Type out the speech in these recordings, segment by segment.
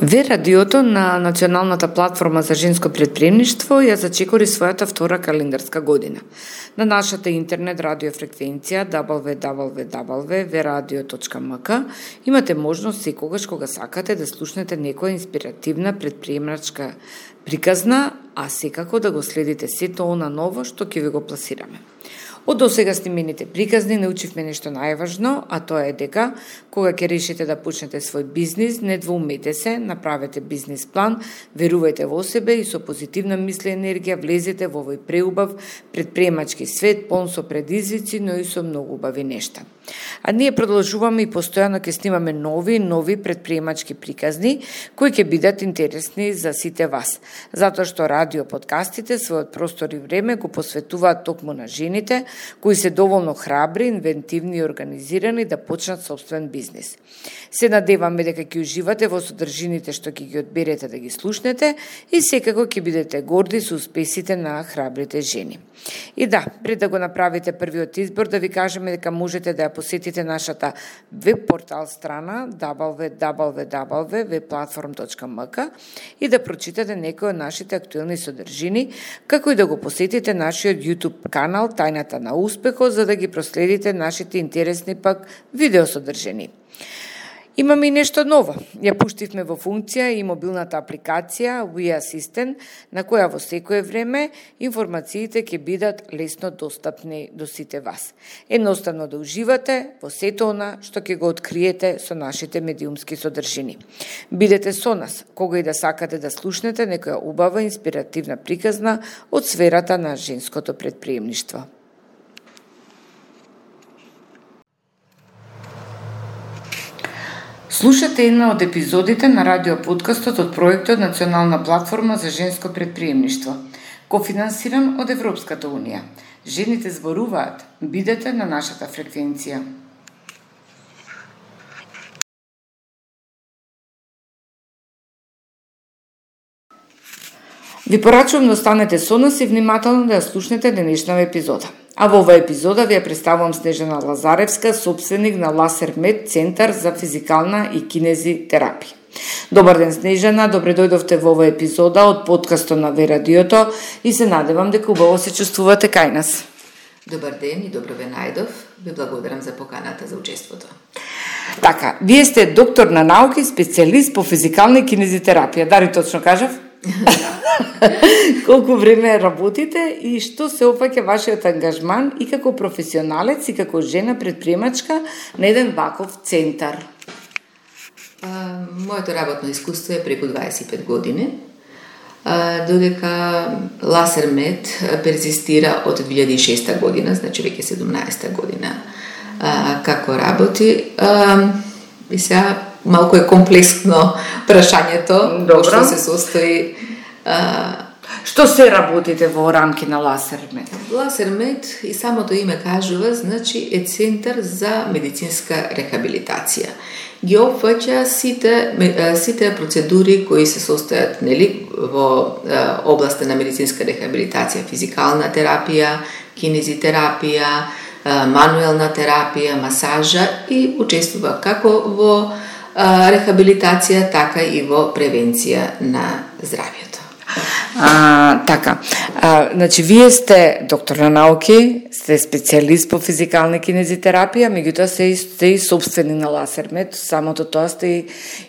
Ве радиото на Националната платформа за женско претприемништво ја зачекори својата втора календарска година. На нашата интернет радиофреквенција www.veradio.mk имате можност секогаш кога сакате да слушнете некоја инспиративна претприемачка приказна, а секако да го следите сето она ново што ќе ви го пласираме. Од досега снимените приказни научивме нешто најважно, а тоа е дека кога ќе решите да почнете свој бизнис, не двоумете се, направете бизнис план, верувајте во себе и со позитивна мисла и енергија влезете во овој преубав претприемачки свет, полн со предизвици, но и со многу убави нешта. А ние продолжуваме и постојано ќе снимаме нови претприемачки приказни кои ќе бидат интересни за сите вас, затоа што радио подкастите својот простор и време го посветуваат токму на жените кои се доволно храбри, инвентивни и организирани да почнат собствен бизнис. Се надеваме дека ќе уживате во содржините што ќе ги одберете да ги слушнете и секако ќе бидете горди со успесите на храбрите жени. И да, пред да го направите првиот избор, да ви кажеме дека можете да ја посетите нашата веб портал страна www.webplatform.mk и да прочитате некои од нашите актуелни содржини, како и да го посетите нашиот YouTube канал Тајната на успехот, за да ги проследите нашите интересни пак видеосодржини. Имаме и нешто ново. Ја пуштивме во функција и мобилната апликација We Assistant, на која во секое време информациите ќе бидат лесно достапни до сите вас. Едноставно да уживате во сето она што ќе го откриете со нашите медиумски содржини. Бидете со нас, кога и да сакате да слушнете некоја убава инспиративна приказна од сферата на женското претприемништво. Слушате една од епизодите на радиоподкастот од проектот Национална платформа за женско претприемништво, кофинансиран од Европската унија. Жените зборуваат. Бидете на нашата фреквенција. Ви порачувам да останете со нас и внимателно да ја слушнете денешната епизода. А во оваа епизода ви ја представувам Снежана Лазаревска, собственик на Ласермет, Центар за физикална и кинезитерапија. Добар ден, Снежана, добре дојдовте во оваа епизода од подкастот на Ве радиото и се надевам дека убаво се чувствувате кај нас. Добар ден и добро ве најдов. Ви благодарам за поканата за учеството. Така, вие сте доктор на науки, специјалист по физикална и кинезитерапија. Дали точно кажав? Колку време работите и што се опфаќа вашиот ангажман и како професионалец и како жена претприемачка на еден ваков центар? Моето работно искуство е преку 25 години, додека Ласермет перзистира од 2006 година, значи веќе 17 година како работи. И сега малку е комплексно прашањето, што се состои. Што се работите во рамки на Ласермет? Ласермет, и самото име кажува, значи е центар за медицинска рехабилитација. Ги опфаќа сите процедури кои се состојат, нели, во областа на медицинска рехабилитација, физикална терапија, кинезитерапија, мануелна терапија, масажа и учествува како во рехабилитација, така и во превенција на здравјето. Така, значи вие сте доктор на науки, сте специјалист по физикална кинезитерапија, меѓутоа сте и собствени на Ласермет, самото тоа сте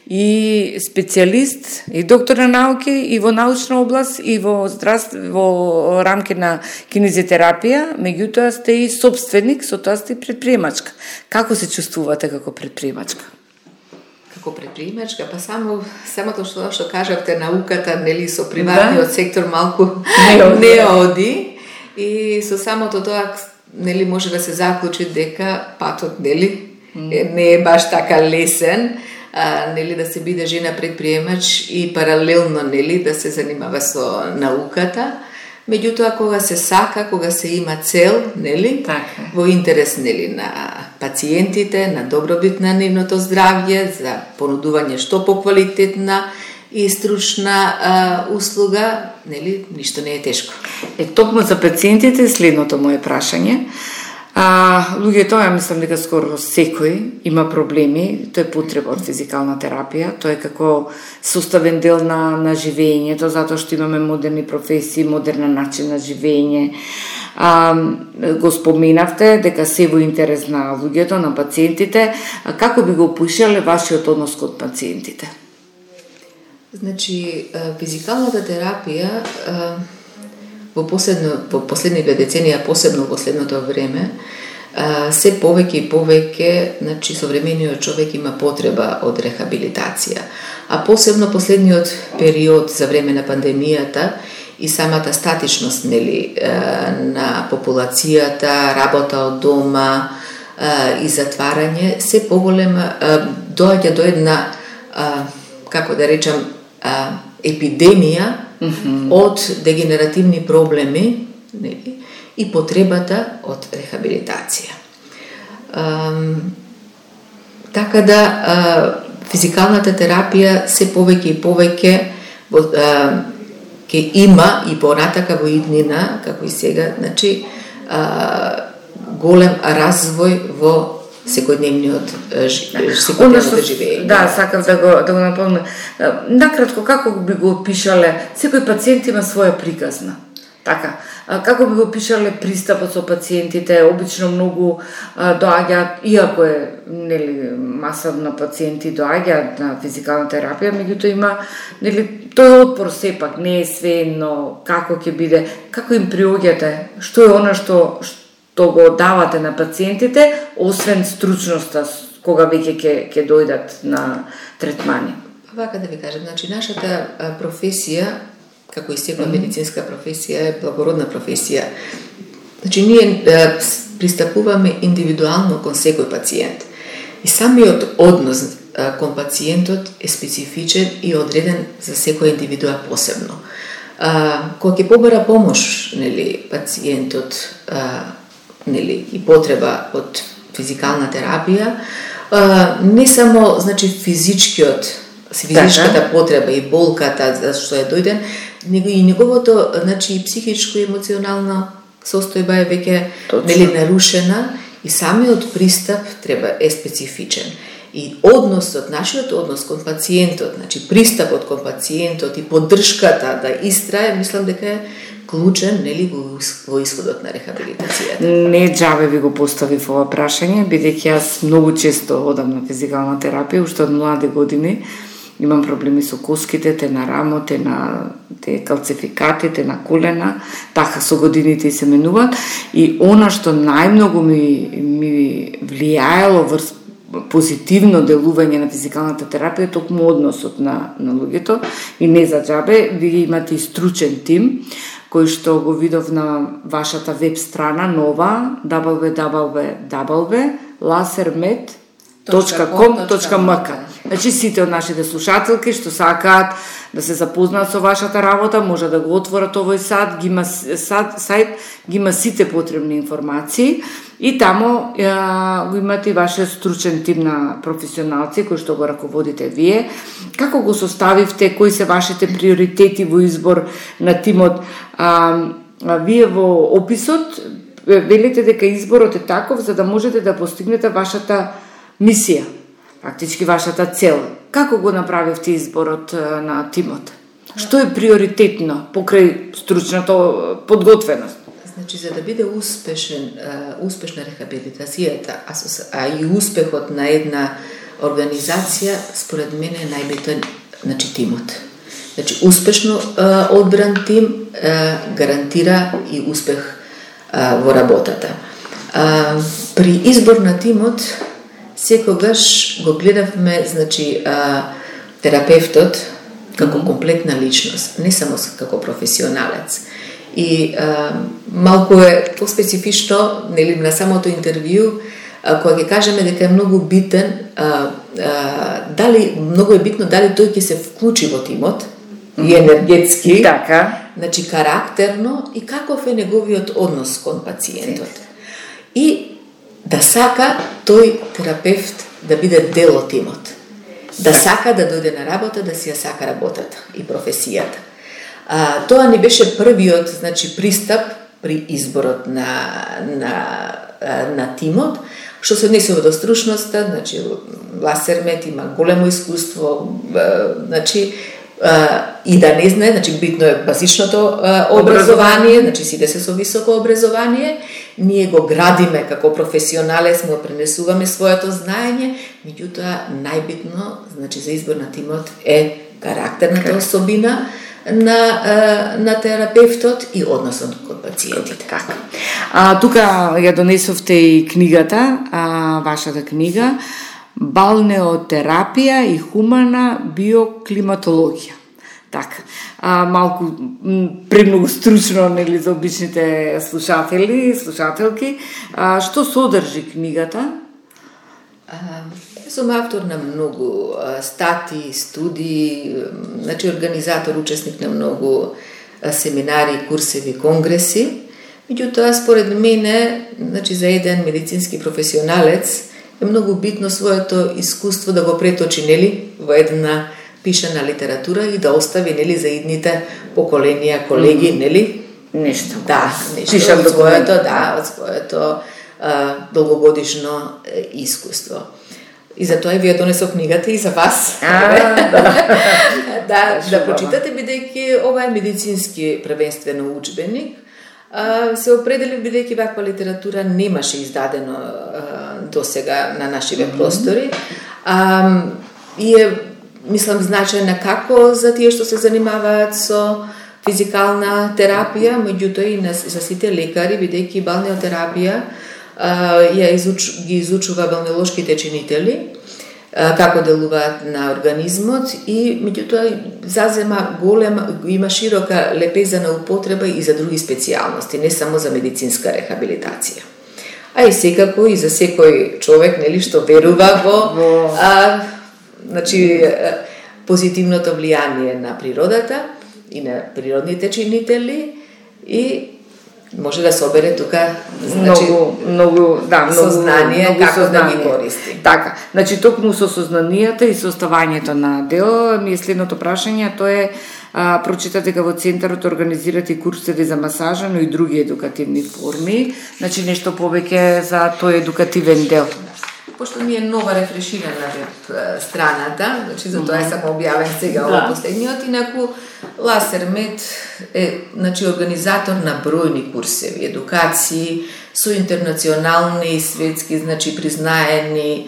и специјалист, и доктор на науки, и во научна област, и во рамки на кинезитерапија, меѓутоа сте и собственик, со тоа сте и претприемачка. Како се чувствувате како претприемачка? Како претприемачка, па самото што кажавте, науката, нели, со приватниот сектор малку не оди, и со самото тоа, нели, може да се заклучи дека патот, нели, не е баш така лесен, нели, да се биде жена претприемач и паралелно, нели, да се занимава со науката. Меѓутоа, кога се сака, кога се има цел, нели, во интерес, нели, на пациентите, на добробит на нивното здравје, за понудување што поквалитетна и стручна услуга, нели, ништо не е тешко. Токму за пациентите следното моје прашање. Луѓето, ја мислам дека скоро секој има проблеми, тоа е потреба од физикална терапија, тоа е како составен дел на живењето, затоа што имаме модерни професии, модерен начин на живење. Го споменавте дека се во интерес на луѓето, на пациентите. Како би го опишале вашиот однос кон пациентите? Значи, физикалната терапија во последните деценија, посебно во последното време, се повеќе и повеќе, значи, современиот човек има потреба од рехабилитација. А посебно последниот период за време на пандемијата и самата статичност, нели, на популацијата, работа од дома и затварање, се поголема доаѓа до една, како да речам, епидемија од дегенеративни проблеми, нели, и потребата од рехабилитација. Така да физикалната терапија се повеќе и повеќе ќе има и понатака во иднина, како и сега, значи голем развој во секојдневниот живење. Да, сакам да го напомнам. Накратко, како би го опишале, секој пациент има своја приказна. Така, како би го опишале пристапот со пациентите? Обично многу доаѓаат, иако е, нели, масовно пациенти доаѓаат на физикална терапија, меѓутоа има, нели, тој отпор сепак не е свеедно како ќе биде, како им приоѓате, што е она што го давате на пациентите, освен стручноста кога веќе ќе дојдат на третмани. Вака да ви кажам, значи нашата професија, како и секоја медицинска професија, е благородна професија. Значи ние пристапуваме индивидуално кон секој пациент. И самиот однос кон пациентот е специфичен и одреден за секоја индивидуа посебно. Кога ќе побара помош, нели, пациентот, нели, и потреба од физикална терапија, не само, значи, физичката потреба и болката за што е дојден, него и неговото, значи, психичко и емоционална состојба е веќе, нели, нарушена и самиот пристап е специфичен. И нашиот однос кон пациентот, значи пристапот кон пациентот и поддршката да истрае, мислам дека е клучен, нели, во исходот на рехабилитацијата. Не џабе ви го поставив ова прашање, бидејќи јас многу често одам на физикална терапија, уште од млади години. Имам проблеми со коските, те на рамо, те на калцификати, те на колена, така со годините се менуваат. И она што најмногу ми влијаело врз позитивно делување на физикалната терапија е токму односот на луѓето. И не за џабе, ви имате и стручен тим, кој што го видов на вашата веб страна нова www.lasermed.com.mk. Значи сите од нашите слушателки што сакаат да се запознаат со вашата работа, може да го отворат овој сайт, ги има сите потребни информации и таму го имате и вашиот стручен тим на професионалци кои што го раководите вие. Како го составивте, кои се вашите приоритети во избор на тимот? Вие во описот велите дека изборот е таков за да можете да постигнете вашата мисија, фактички вашата цел. Како го направивте изборот на тимот? Што е приоритетно покрај стручната подготвеност? Значи, за да биде успешна рехабилитацијата, а и успехот на една организација, според мене е најбитен, значи, тимот. Значи, успешно одбран тим гарантира и успех во работата. При избор на тимот секогаш го гледавме, значи, терапевтот како комплетна личност, не само како професионалец. И малку е по-специфично, нели, на самото интервју, кога ќе кажеме дека е многу битен, многу е битно дали тој ќе се вклучи во тимот и енергетски, така, значи карактерно, и каков е неговиот однос кон пациентот. И да сака тој терапевт да биде дел од тимот. Да сака да дојде на работа, да си ја сака работата и професијата. Тоа не беше првиот, значи, пристап при изборот на на тимот. Што се однесува до стручноста, значи Ласермет има големо искуство, значи и да не знае, значи битно е базичното образование, значи сите се со високо образование, ние го градиме како професионалец, му пренесуваме своето знаење, меѓутоа најбитно, значи за избор на тимот е карактерната особина на терапевтот и односот кон пациентите. Тука ја донесовте и книгата, вашата книга, Балнеотерапија и хумана биоклиматологија. Така, малку премногу стручно, нели, за обичните слушателки. Што содржи книгата? Сум автор на многу статии, студии, значи организатор, учесник на многу семинари, курсеви, конгреси. Меѓутоа, според мене, значи за еден медицински професионалец е многу битно своето искуство да го преточи, нели, во една пишана литература и да остави, нели, за идните поколенија, колеги, нели, нешто. Да, нешто од своето долгогодишно искуство. И затоа вие донесов книгата и за вас. Да прочитате, бидејќи ова е медицински првенствено учбеник. Се определи бидејќи ваква литература немаше издадено до сега на нашиве простори. И е, мислам, значајна како за тие што се занимаваат со физикална терапија, меѓутоа и за сите лекари, бидејќи балнеотерапија ги изучува балнеолошките чинители, како делуваат на организмот и меѓутоа зазема има широка лепеза на употреба и за други специјалности, не само за медицинска рехабилитација. А и секако и за секој човек, нели, што верува во значи позитивното влијание на природата и на природните чинители и може да собере тука, значи, многу сознание како да ги користи. Така, значи токму со сознанието и составањето на дел, ми е следното прашање, тоа е прочитате дека во центарот организирате курсеви за масажа, но и други едукативни форми, значи нешто повеќе за тој едукативен дел. Пошто ми е нова рефреширана веб страната, значи за тоа е само објавен сега во последниот, инаку Ласермет е, значи, организатор на бројни курсеви, едукации со интернационални и светски, значи, признаени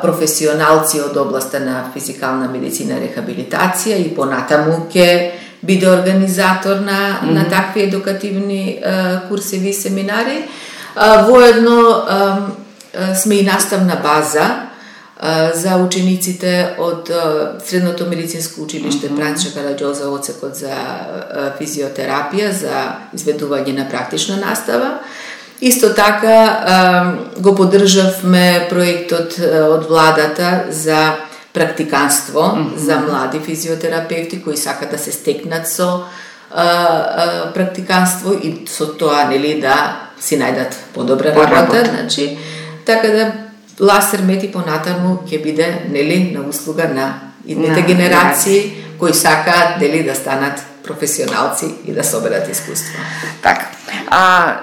професионалци од областа на физикална медицина и рехабилитација и понатаму ќе биде организатор на такви едукативни курсеви и семинари. Воедно сме и наставна база за учениците од Средното медицинско училиште Франчо Караѓоза, одсекот за физиотерапија, за изведување на практична настава. Исто така го поддржавме проектот од владата за практиканство за млади физиотерапевти кои сакат да се стекнат со практиканство и со тоа, нели, да си најдат подобра работа, значи, така да Ласермет и понатаму ќе биде, нели, на услуга на идните генерации кои сакаат, нели, да станат професионалци и да соберат искуство. Така.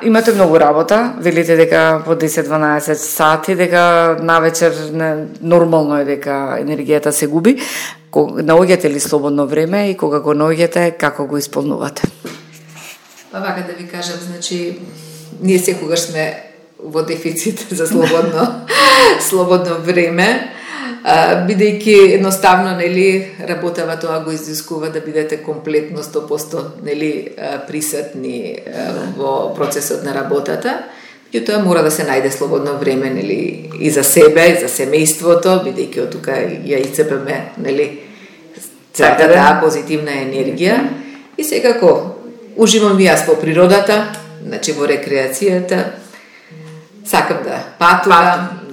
Имате многу работа, велите дека по 10-12 сати, дека навечер нормално е дека енергијата се губи. Наоѓате ли слободно време и кога го наоѓате, како го исполнувате? Па вака да ви кажам, значи, ние секогаш сме во дефицит за слободно време, бидејќи едноставно, нели, работава тоа го изискува да бидете комплетно 100%, нели, присутни во процесот на работата. И тоа мора да се најде слободно време, нели, и за себе, и за семејството, бидејќи од тука ја ицепеме, нели, целата таа позитивна енергија. И секако уживам и јас во природата, значи во рекреацијата. Сакам да патувам,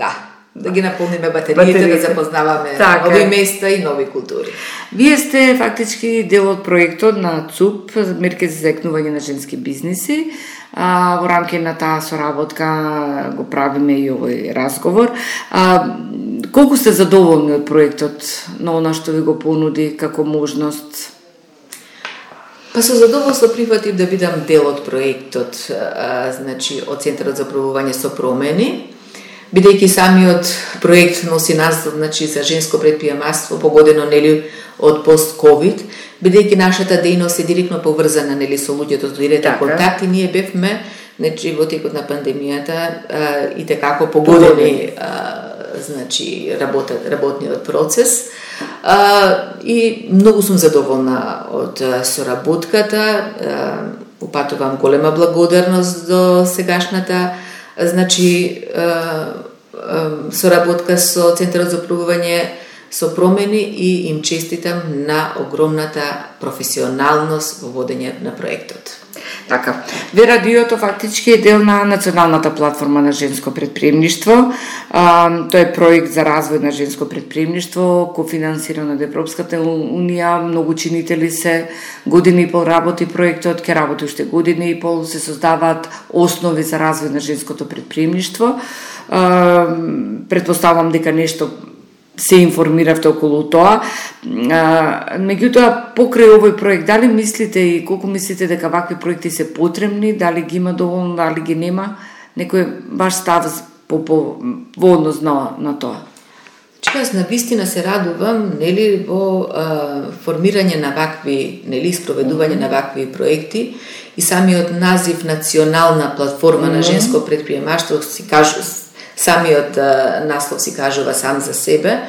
да ги наполниме батериите, да запознаваме нови места и нови култури. Вие сте фактички дел од проектот на ЦУП, мерки за заекнување на женски бизниси. Во рамки на таа соработка го правиме и овој разговор. Колку сте задоволни од проектот, на она што ви го понуди како можност? Па со задоволство прифатив да бидам дел од проектот, значи од Центарот за пробување со промени, бидејќи самиот проект носи наслов, значи за женско предприемаштво погодено нели од пост-ковид, бидејќи нашата дејност е директно поврзана нели со луѓето, со директен контакт, и ние бевме значи во текот на пандемијата и така погодени значи работниот процес. И многу сум задоволна од соработката. Упатувам голема благодарност до сегашната значи соработка со Центарот за пробување со промени и им честитам на огромната професионалност во водење на проектот. Така, Ве-радиото фактички е дел на Националната платформа на женско предприемништво. Тој е проект за развој на женско предприемништво, кофинансиран од Европската унија. Многу чинители се, години и пол работи проектот, ќе работи уште години и пол, се создаваат основи за развој на женското предприемништво. Предпоставам дека нешто се информиравте околу тоа. Меѓутоа, покрај овој проект, дали мислите и колку мислите дека вакви проекти се потребни, дали ги има доволно, дали ги нема, некој ваш став во однос на тоа? Јас навистина се радувам нели во формирање на вакви, нели спроведување на вакви проекти, и самиот назив Национална платформа на женско предприемаштво си кажу, самиот наслов си кажува сам за себе,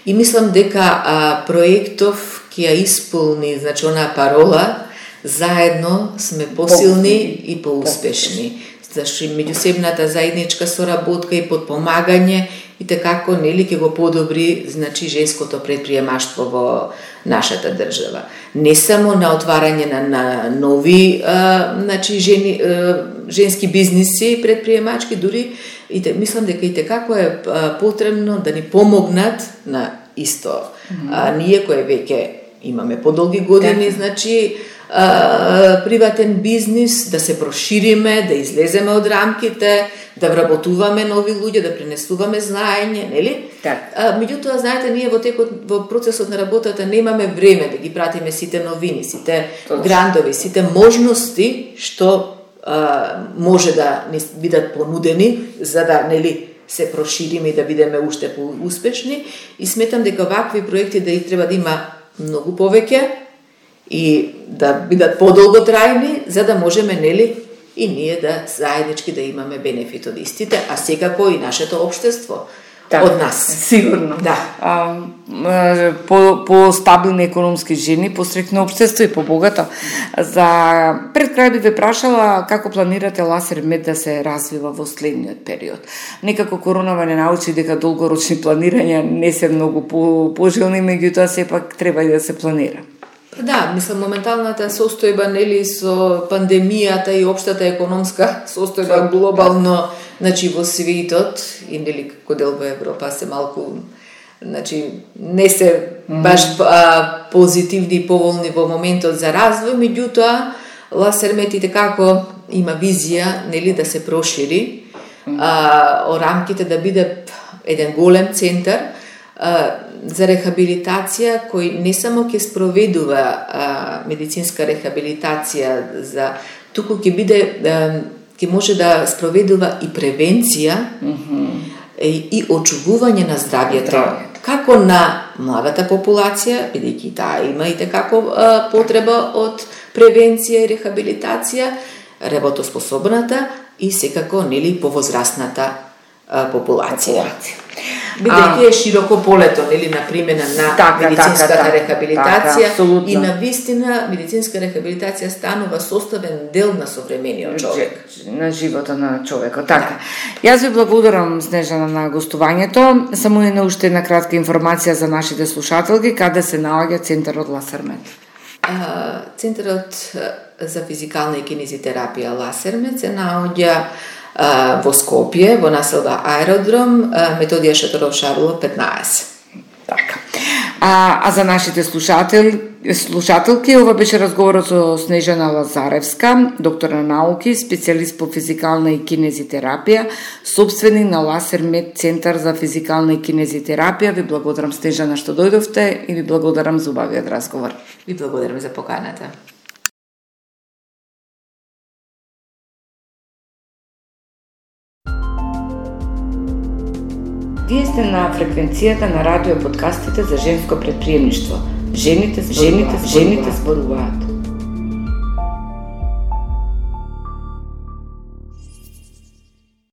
и мислам дека проектов ќе ја исполни, значи, онаа парола заедно сме посилни и поуспешни. Зашто меѓусебната заедничка соработка и подпомагање и така нели ќе го подобри, значи, женското предприемаштво во нашата држава. Не само на отварање на нови значи женски бизниси предприемачки, дури и мислам дека и така е потребно да ни помогнат на исто. Ние кои веќе имаме подолги години, значи приватен бизнис, да се прошириме, да излеземе од рамките, да вработуваме нови луѓе, да пренесуваме знаење, нели? Меѓутоа, знаете, ние во процесот на работата немаме време да ги пратиме сите новини, сите грантови, сите можности што може да ни бидат понудени за да нели се прошириме и да бидеме уште поуспешни, и сметам дека вакви проекти да и треба да има многу повеќе и да бидат подолготрајни, за да можеме нели и ние да заеднички да имаме бенефит од истите, а секако и нашето општество од нас. Сигурно. По стабилни економски жени, посрекно општество и побогато. За пред крај би ве прашала како планирате Ласермед да се развива во следниот период. Некако коронава не научи дека долгорочни планирања не се многу пожелни, меѓутоа сепак треба и да се планира. Да, мислам, моменталната состојба нели со пандемијата и општата економска состојба глобално, значи во светот и нели како дел во Европа се малку, значи не се баш позитивни и поволни во моментот за развој, меѓутоа Ласермед и како има визија нели да се прошири о рамките, да биде еден голем центар за рехабилитација, кој не само ќе спроведува медицинска рехабилитација, туку ќе биде, ќе може да спроведува и превенција и очувување на здравјето, како на младата популација, бидејќи таа има и како потреба од превенција и рехабилитација, работоспособната и секако нели повозрастната популација. Бидејќи е широко полето, нели, на примена на медицинската рехабилитација, и на вистина медицинска рехабилитација станува составен дел на современиот човек, на животот на човекот. Така. Јас ви благодарам, Снежана, на гостувањето. Само уште една кратка информација за нашите слушателки, каде се наоѓа Центарот Ласермед. Центарот за физикална и кинезитерапија Ласермед се наоѓа во Скопје, во населба Аеродром, Методија Шаторов Шарло 15. Така. А за нашите слушателки, ова беше разговорот со Снежана Лазаревска, доктор на науки, специјалист по физикална и кинезитерапија, собственик на Ласермед Центар за физикална и кинезитерапија. Ви благодарам, Снежана, што дојдовте, и ви благодарам за убавиот разговор. Ви благодарам за поканата. Вие сте на фреквенцијата на радио подкастите за женско предприемништво. Жените зборуваат.